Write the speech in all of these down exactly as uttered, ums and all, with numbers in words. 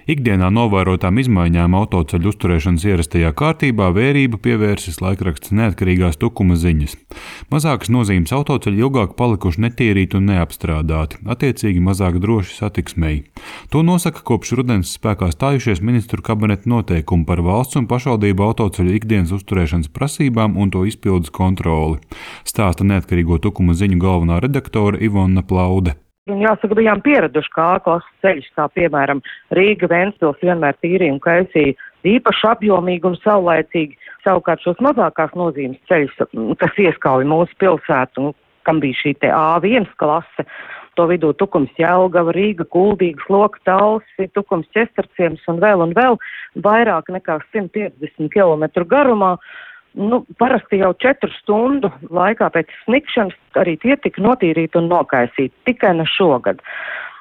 Ikdienā novērotām izmaiņām autoceļu uzturēšanas ierastajā kārtībā vērību pievērsis laikraksts Neatkarīgās Tukuma ziņas. Mazākas nozīmes autoceļi ilgāk palikuši netīrīti un neapstrādāti, attiecīgi mazāk droši satiksmei. To nosaka kopš rudens spēkā stājušies ministru kabineta noteikumi par valsts un pašvaldību autoceļu ikdienas uzturēšanas prasībām un to izpildes kontroli, stāsta Neatkarīgo Tukuma ziņu galvenā redaktore Ivona Plaude. Un jāsaka, bijām pieraduši, kā A-klases ceļš, kā piemēram Rīga, Ventspils vienmēr tīrīja un kaisīja īpaši apjomīgi un saulaicīgi. Savukārt šos mazākās nozīmes ceļus, kas ieskauj mūsu pilsētu, un kam bija šī te A viens klase, to vidū Tukums Jelgava, Rīga, Kuldīga, Sloka, Talsi, Tukums Ķestarciems un vēl un vēl vairāk nekā simt piecdesmit kilometru garumā. Nu, parasti jau četru stundu laikā pēc snikšanas arī tie tika notīrīti un nokaisīti, tikai ne šogad.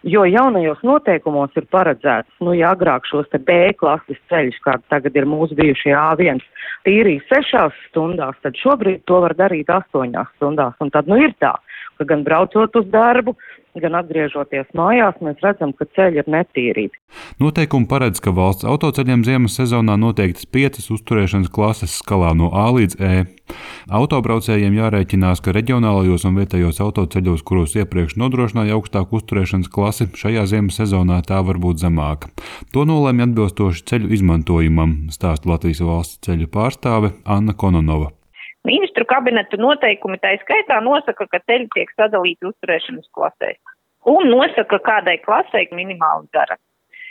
Jo jaunajos noteikumos ir paredzēts, nu, ja agrāk šos te B klases ceļus, kā tagad ir mūsu bijušie A viens, tīrīja sešās stundās, tad šobrīd to var darīt astoņās stundās. Un tad, nu, ir tā, ka gan braucot uz darbu, gan atgriežoties mājās, mēs redzam, ka ceļi ir netīrīti. Noteikumi paredz, ka valsts autoceļiem ziemas sezonā noteiktas piecas uzturēšanas klases skalā no A līdz E. Autobraucējiem jārēķinās, ka reģionālajos un vietējos autoceļos, kuros iepriekš nodrošināja augstāku uzturēšanas klasi, šajā ziemas sezonā tā var būt zemāka. To nolēma atbilstoši ceļu izmantojumam, stāsta Latvijas valsts ceļu pārstāve Anna Kononova. Ministru kabineta noteikumi tā skaitā nosaka, ka ceļi tiek sadalīti uzturēšanas klasēs un nosaka, kādai klasei minimāli dara.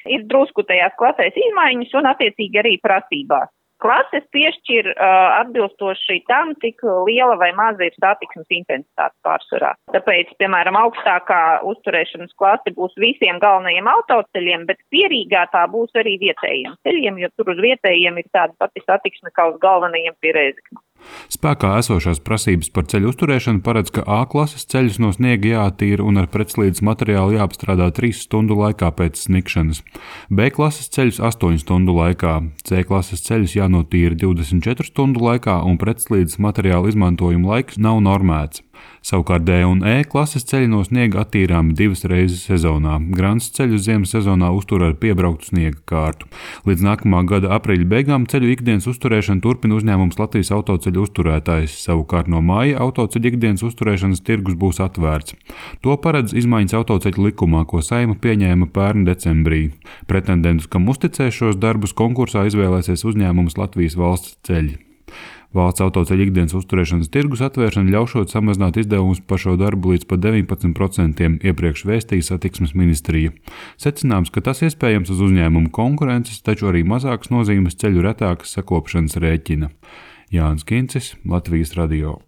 Ir drusku tajās klasēs izmaiņas un attiecīgi arī prasībās. Klases piešķir uh, atbilstoši tam, cik liela vai maza ir satiksmes intensitāte pārsvarā. Tāpēc, piemēram, augstākā uzturēšanas klase būs visiem galvenajiem autoceļiem, bet pierīgā tā būs arī vietējiem ceļiem, jo tur uz vietējiem ir tāda pati satiksme kā uz galvenajiem pie Rēzeknes. Spēkā esošās prasības par ceļu uzturēšanu paredz, ka A klases ceļus no sniega jātīra un ar pretslīdes materiālu jāapstrādā trīs stundu laikā pēc snikšanas, B klases ceļus astoņu stundu laikā, C klases ceļus jānotīra divdesmit četru stundu laikā un pretslīdes materiālu izmantojuma laiks nav normēts. Savukārt D un E klases ceļi no sniega attīrāmi divas reizes sezonā. Grants ceļu ziemas sezonā uztur ar piebrauktu sniega kārtu. Līdz nākamā gada aprīļa beigām ceļu ikdienas uzturēšanu turpina uzņēmums Latvijas autoceļu uzturētājs. Savukārt no māja autoceļu ikdienas uzturēšanas tirgus būs atvērts. To paredz izmaiņas autoceļu likumā, ko Saeima pieņēma pērn decembrī. Pretendentus, kam uzticēs šos darbus, konkursā izvēlēsies uzņēmums Latvijas valsts ceļi. Valsts autoceļu ikdienas uzturēšanas tirgus atvēršana ļaušot samazināt izdevumus par šo darbu līdz pat deviņpadsmit procentiem, iepriekš vēstīja satiksmes ministrija. Secināms, ka tas iespējams uz uzņēmumu konkurences, taču arī mazākas nozīmes ceļu retākas sakopšanas rēķina. Jānis Kincis, Latvijas radio.